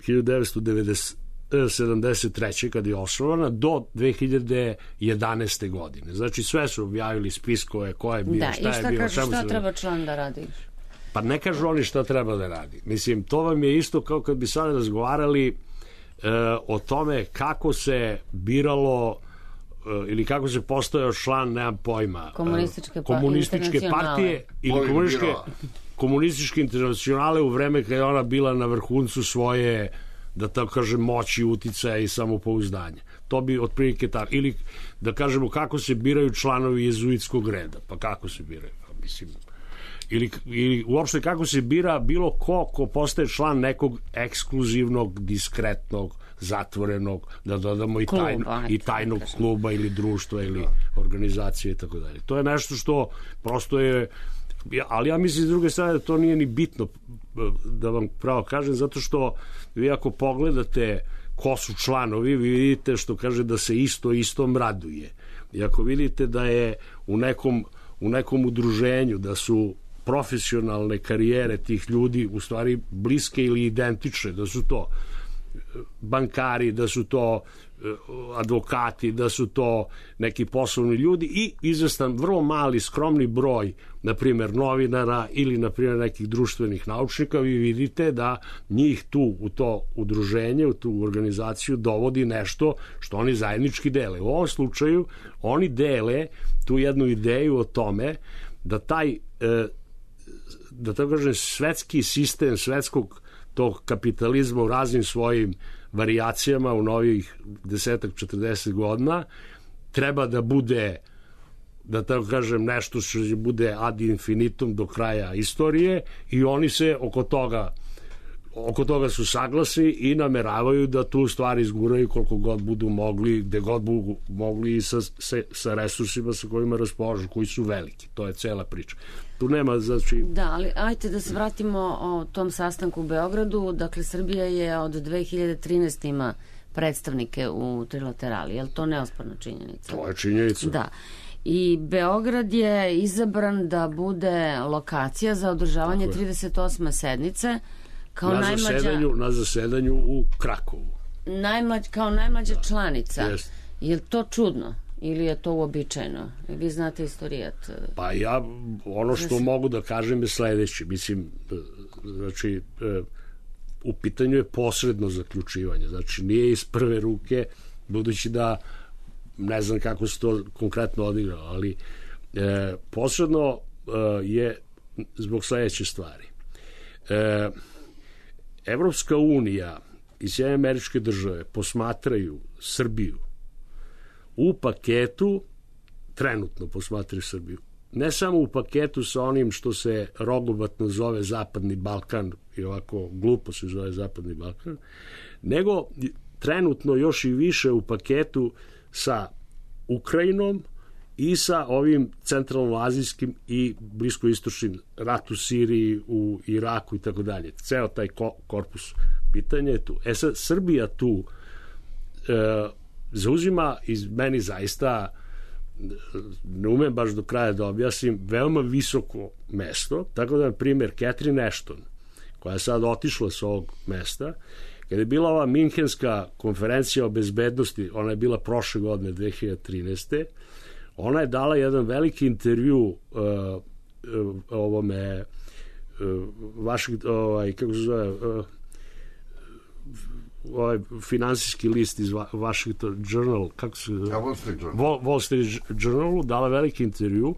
hiljadu devetsto sedamdeset treće kad je osnovana do dve hiljade jedanaeste godine. Znači sve su objavili spiskove ko je bio, da, šta, šta je bio. Kažu, šta treba član da radi? Pa ne kažu oni šta treba da radi. Mislim, to vam je isto kao kad bi sad razgovarali o tome kako se biralo ili kako se postojao član, nemam pojma, komunističke, pa, komunističke partije ili komunističke, komunističke internacionale u vreme kada je ona bila na vrhuncu svoje, da tako kažem, moći, uticaja i samopouzdanja. To bi otprilike tako. Ili da kažemo kako se biraju članovi jezuitskog reda. Pa kako se biraju? Pa, mislim... Ili, ili uopšte kako se bira bilo ko ko postaje član nekog ekskluzivnog, diskretnog, zatvorenog, da dodamo i, tajno, kluba, i tajnog kluba ili društva ili organizacije i tako dalje. To je nešto što prosto je, ali ja mislim s druge strane da to nije ni bitno, da vam pravo kažem, zato što vi ako pogledate ko su članovi, vi vidite što kaže da se isto istom raduje. I ako vidite da je u nekom, u nekom udruženju da su profesionalne karijere tih ljudi u stvari bliske ili identične, da su to bankari, da su to advokati, da su to neki poslovni ljudi i izvestan vrlo mali skromni broj, na primjer novinara ili na primjer nekih društvenih naučnika, vi vidite da njih tu u to udruženje, u tu organizaciju dovodi nešto što oni zajednički dele. U ovom slučaju oni dele tu jednu ideju o tome da taj da tako kažem svetski sistem svetskog tog kapitalizma u raznim svojim varijacijama u novih desetak, četrdeset godina treba da bude, da tako kažem, nešto što će bude ad infinitum do kraja istorije i oni se oko toga oko toga su saglasni i nameravaju da tu stvar izguraju koliko god budu mogli, gde god budu mogli i sa, sa, sa resursima sa kojima raspolažu, koji su veliki. To je cela priča. Tu nema, znači... Da, ali ajte da se vratimo o tom sastanku u Beogradu. Dakle, Srbija je od dve hiljade trinaeste. ima predstavnike u trilaterali. Je li to neosporna činjenica? To je činjenica. Da. I Beograd je izabran da bude lokacija za održavanje trideset osme sednice kao na najmlađa, zasedanju, na zasedanju u Krakovu. Najmlađ, kao najmlađa da. članica. Jest. Je li to čudno? Ili je to uobičajeno? Vi znate istorijat. Pa ja, ono što Zas... mogu da kažem je sledeće. Mislim, znači, u pitanju je posredno zaključivanje. Znači, nije iz prve ruke, budući da ne znam kako se to konkretno odigralo, ali e, posredno e, je zbog sledeće stvari. E, Evropska unija i Sjedinjene Američke Države posmatraju Srbiju u paketu, trenutno posmatraju Srbiju, ne samo u paketu sa onim što se rogobatno zove Zapadni Balkan, i ovako glupo se zove Zapadni Balkan, nego trenutno još i više u paketu sa Ukrajinom i sa ovim centralnoazijskim i bliskoistočnim, rat u Siriji, u Iraku i tako dalje. Ceo taj ko, korpus pitanja je tu. E sad, Srbija tu e, zauzima, iz meni zaista, ne umem baš do kraja da objasnim, veoma visoko mesto, tako da, na primjer, Catherine Ashton, koja je sad otišla s ovog mesta, kada je bila ova Minhenska konferencija o bezbednosti, ona je bila prošle godine, dve hiljade trinaeste. Ona je dala jedan veliki intervju uh, uh, ovome uh, vašeg, ovaj, kako se zove, uh, ovaj finansijski list iz Washington Journal, kako se zove? Wall Street Journal. Wall, Wall Street Journalu dala veliki intervju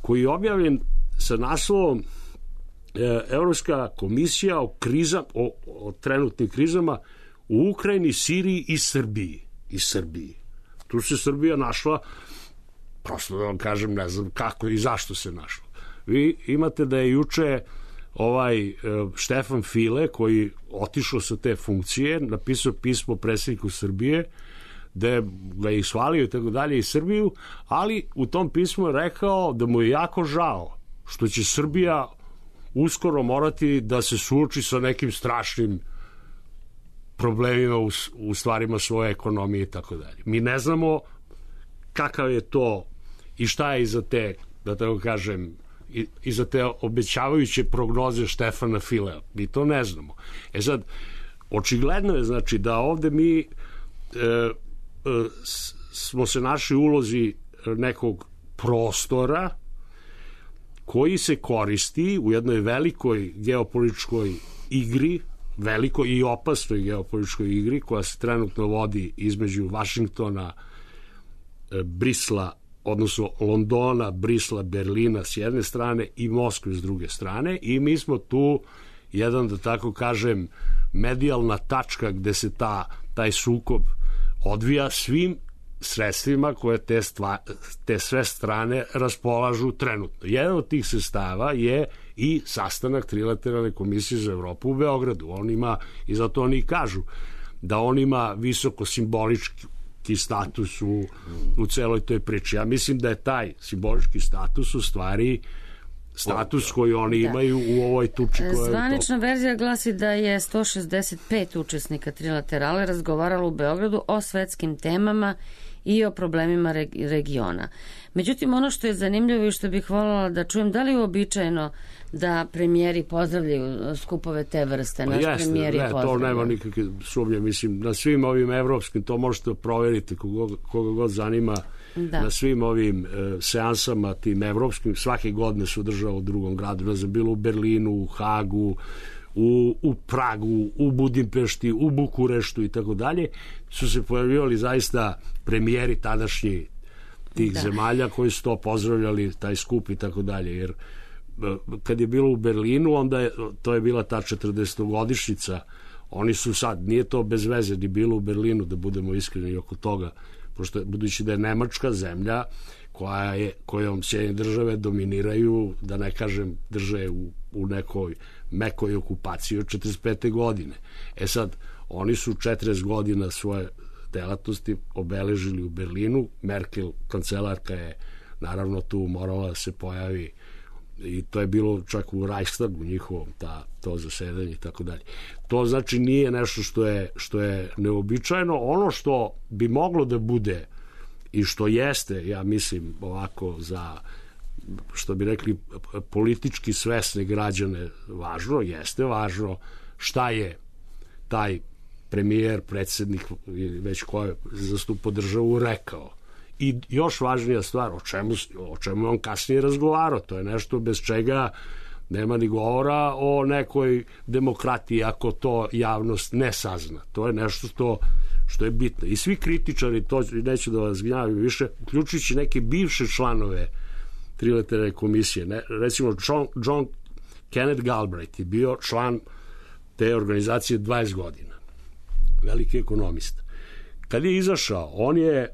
koji je objavljen sa naslovom Evropska komisija o, kriza, o, o trenutnim krizama u Ukrajini, Siriji i Srbiji. I Srbiji. Tu se Srbija našla, prosto da vam kažem, ne znam kako i zašto se našla. Vi imate da je juče ovaj Štefan File, koji otišao sa te funkcije, napisao pismo predsjedniku Srbije, da ga je ishvalio i tako dalje i Srbiju, ali u tom pismu je rekao da mu je jako žao što će Srbija uskoro morati da se suoči sa nekim strašnim problemima u, u stvarima svoje ekonomije i tako dalje. Mi ne znamo kakav je to i šta je iza te, da tako kažem, iza te obećavajuće prognoze Štefana Filea. Mi to ne znamo. E sad, očigledno je, znači, da ovde mi e, e, smo se našli u ulozi nekog prostora koji se koristi u jednoj velikoj geopolitičkoj igri, velikoj i opasnoj geopolitičkoj igri koja se trenutno vodi između Vašingtona, Brisla, odnosno Londona, Brisla, Berlina s jedne strane i Moskve s druge strane, i mi smo tu jedan, da tako kažem, medijalna tačka gde se ta, taj sukob odvija svim sredstvima koje te, stva, te sve strane raspolažu trenutno. Jedan od tih sredstava je i sastanak trilateralne komisije za Evropu u Beogradu. On ima, i zato oni kažu da on ima visoko simbolički status u, u celoj toj priči. Ja mislim da je taj simbolički status u stvari status koji oni da. imaju u ovoj tuči koja je... Zvanična verzija glasi da je sto šezdeset pet učesnika trilaterale razgovaralo u Beogradu o svetskim temama i o problemima regiona. Međutim, ono što je zanimljivo i što bih voljela da čujem, da li je uobičajeno da premijeri pozdravljaju skupove te vrste? Naš Jeste, premijer je ne, pozdravljaju. To nema nikakve sumnje. Mislim, na svim ovim evropskim, to možete provjeriti koga, koga god zanima, da. Na svim ovim e, seansama, tim evropskim, svake godine se održava u drugom gradu. Ne znam, bilo u Berlinu, u Hagu, u, u Pragu, u Budimpešti, u Bukureštu i tako dalje, su se pojavljivali zaista premijeri tadašnji tih da. zemalja koji su to pozdravljali, taj skup i tako dalje, jer kad je bilo u Berlinu, onda je, to je bila ta četrdesetogodišnjica, oni su sad, nije to bez veze ni bilo u Berlinu, da budemo iskreni oko toga, pošto budući da je Nemačka zemlja koja je, kojom Sjedinjene države dominiraju, da ne kažem drže u, u nekoj mekoj okupaciji od četrdeset pete godine. E sad, oni su četrdeset godina svoje delatnosti obeležili u Berlinu. Merkel, kancelarka, je naravno tu morala da se pojavi i to je bilo čak u Reichstagu njihovom, ta, to zasedanje i tako dalje. To znači nije nešto što je, što je neobičajno. Ono što bi moglo da bude i što jeste, ja mislim, ovako za, što bi rekli, politički svesne građane važno, jeste važno šta je taj premijer, predsednik, već ko je zastupo državu, rekao. I još važnija stvar, o čemu, o čemu on kasnije razgovarao, to je nešto bez čega nema ni govora o nekoj demokratiji ako to javnost ne sazna. To je nešto što, što je bitno. I svi kritičari, to neću da vas gnjavim više, uključujući neke bivše članove Trilateralne komisije, ne, recimo John, John Kenneth Galbraith je bio član te organizacije dvadeset godina. Veliki ekonomista. Kad je izašao, on je,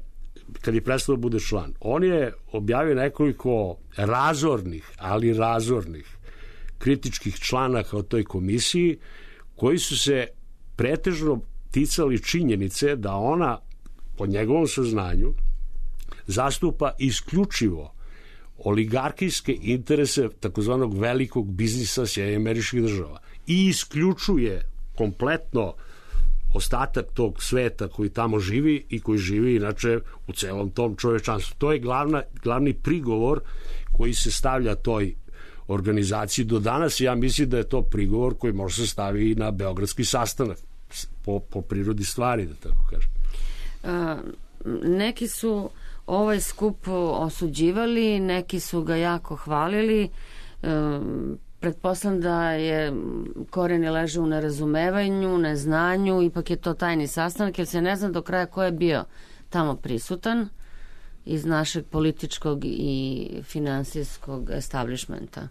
kad je prestao da bude član, on je objavio nekoliko razornih, ali razornih kritičkih članaka o toj komisiji, koji su se pretežno ticali činjenice da ona, po njegovom saznanju, zastupa isključivo oligarhijske interese takozvanog velikog biznisa Sjedinjenih Američkih Država i isključuje kompletno ostatak tog sveta koji tamo živi i koji živi inače u celom tom čovečanstvu. To je glavna, glavni prigovor koji se stavlja toj organizaciji do danas. Ja mislim da je to prigovor koji može se staviti i na beogradski sastanak po, po prirodi stvari, da tako kažem. A, neki su ovaj skup osuđivali, neki su ga jako hvalili. Um, Pretpostavljam da je koreni leže u nerazumevanju, neznanju, ipak je to tajni sastanak, jer se ne zna do kraja ko je bio tamo prisutan iz našeg političkog i finansijskog establishmenta.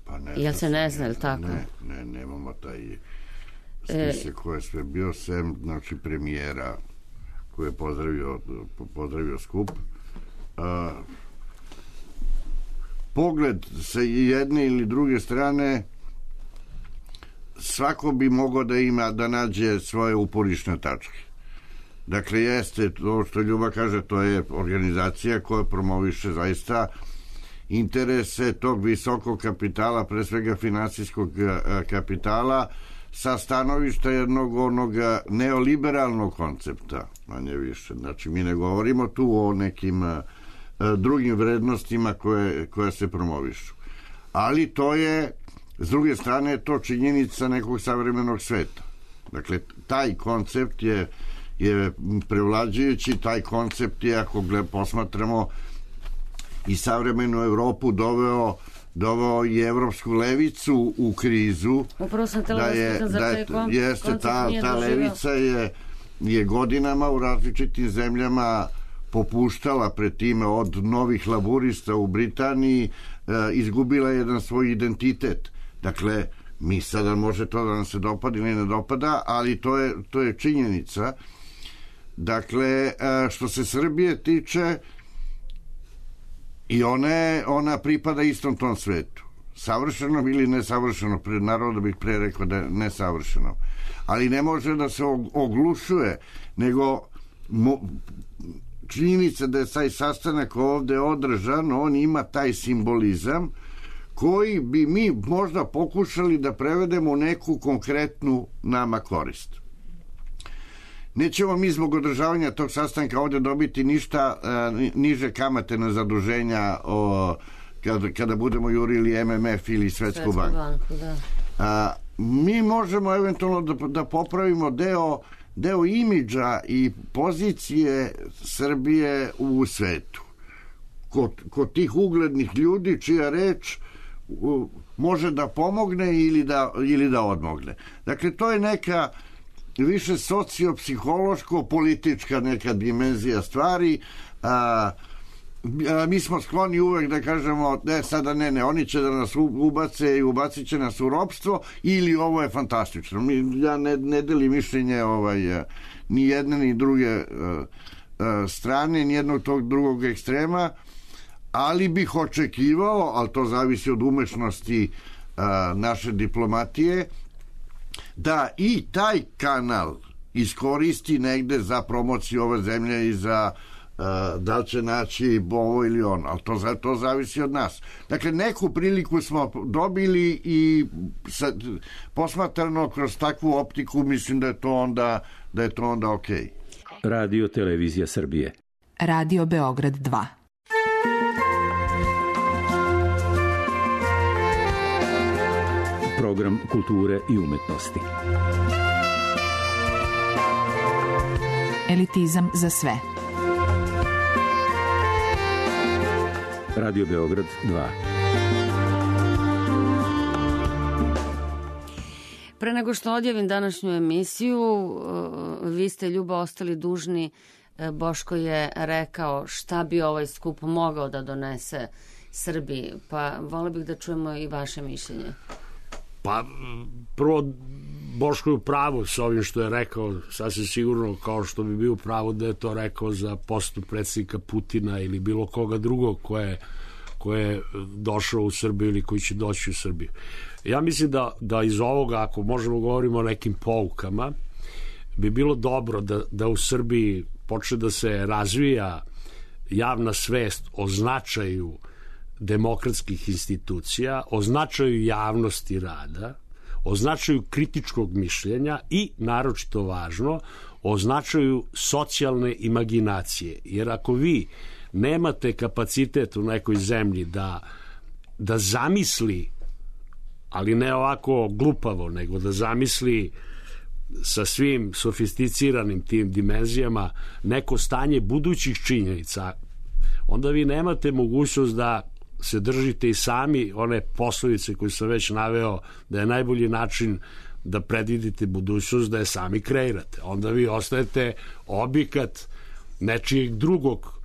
Pa ne, jel se ne zna, ili tako? Ne, ne, nemamo taj spisak e, ko je sve bio, sem, znači, premijera koji je pozdravio, pozdravio skup. A, pogled sa jedne ili druge strane, svako bi mogao da ima, da nađe svoje uporišne tačke. Dakle, jeste to što Ljuba kaže, to je organizacija koja promoviše zaista interese tog visokog kapitala, pre svega finansijskog kapitala, sa stanovišta jednog onog neoliberalnog koncepta, manje više. Znači, mi ne govorimo tu o nekim drugim vrednostima koje, koje se promovišu. Ali to je, s druge strane, to činjenica nekog savremenog sveta. Dakle, taj koncept je, je prevlađujući, taj koncept je, ako gled, posmatramo i savremenu Evropu, doveo doveo i evropsku levicu u krizu. Upravo sam tela da je, da je, jeste, ta, ta levica je, je godinama u različitim zemljama popuštala pred time, od novih laburista u Britaniji, e, izgubila jedan svoj identitet. Dakle, mi sada može to da nam se dopada ili ne dopada, ali to je, to je činjenica. Dakle, e, što se Srbije tiče, i one, ona pripada istom tom svetu. Savršeno ili nesavršeno, pred naroda bih pre rekao da je nesavršeno. Ali ne može da se oglušuje, nego mo, činjenica da je taj sastanak ovde održan, on ima taj simbolizam koji bi mi možda pokušali da prevedemo u neku konkretnu nama korist. Nećemo mi zbog održavanja tog sastanka ovde dobiti ništa uh, niže kamate na zaduženja o, kada, kada budemo jurili M M F ili Svetsku, Svetsku banku. banku da. A, mi možemo eventualno da, da popravimo deo, deo imidža i pozicije Srbije u svetu. Kod, kod tih uglednih ljudi čija reč uh, može da pomogne ili da, ili da odmogne. Dakle, to je neka više sociopsihološko-politička neka dimenzija stvari. A, a, mi smo skloni uvek da kažemo, ne, sada ne, ne, oni će da nas ubace i ubacit će nas u ropstvo, ili ovo je fantastično. Mi, ja ne, ne delim mišljenje ovaj, ni jedne ni druge a, a, strane, ni jednog tog drugog ekstrema, ali bih očekivao, ali to zavisi od umešnosti a, naše diplomatije, da i taj kanal iskoristi negde za promociju ove zemlje i za uh, da li će naći ovo ili ono, ali to, to zavisi od nas. Dakle, neku priliku smo dobili i sa, posmatrano kroz takvu optiku mislim da je to onda, da je to onda okej. Radio Televizija Srbije. Radio Beograd dva. Program kulture i umetnosti. Elitizam za sve. Radio Beograd dva. Pre nego što odjavim današnju emisiju, vi ste, Ljubo, ostali dužni. Boško je rekao šta bi ovaj skup mogao da donese Srbiji, pa vole bih da čujemo i vaše mišljenje. Pa, prvo, Boško je u pravu sa ovim što je rekao, sasvim sigurno, kao što bi bio u pravu da je to rekao za posetu predsjednika Putina ili bilo koga drugog ko je, ko je došao u Srbiju ili koji će doći u Srbiju. Ja mislim da, da iz ovoga, ako možemo govorimo o nekim poukama, bi bilo dobro da, da u Srbiji počne da se razvija javna svest o značaju demokratskih institucija, o značaju javnosti rada, o značaju kritičkog mišljenja i, naročito važno, o značaju socijalne imaginacije. Jer ako vi nemate kapacitet u nekoj zemlji da, da zamisli, ali ne ovako glupavo, nego da zamisli sa svim sofisticiranim tim dimenzijama neko stanje budućih činjenica, onda vi nemate mogućnost da se držite i sami one poslovice koje sam već naveo, da je najbolji način da predvidite budućnost da je sami kreirate. Onda vi ostajete objekat nečijeg drugog,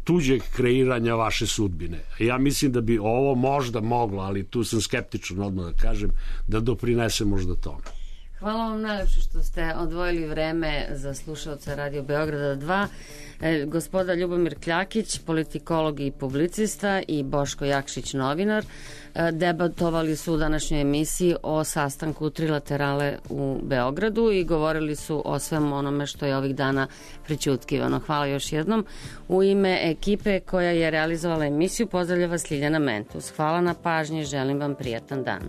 tuđeg kreiranja vaše sudbine. Ja mislim da bi ovo možda moglo, ali tu sam skeptičan odmah da kažem, da doprinese možda tome. Hvala vam najlepše što ste odvojili vreme za slušalce Radio Beograda dva. E, gospoda Ljubomir Kljakić, politikolog i publicista, i Boško Jakšić, novinar, e, debatovali su u današnjoj emisiji o sastanku trilaterale u Beogradu i govorili su o svem onome što je ovih dana prećutkivano. Hvala još jednom. U ime ekipe koja je realizovala emisiju pozdravlja vas Ljiljana Mentus. Hvala na pažnji, želim vam prijatan dan.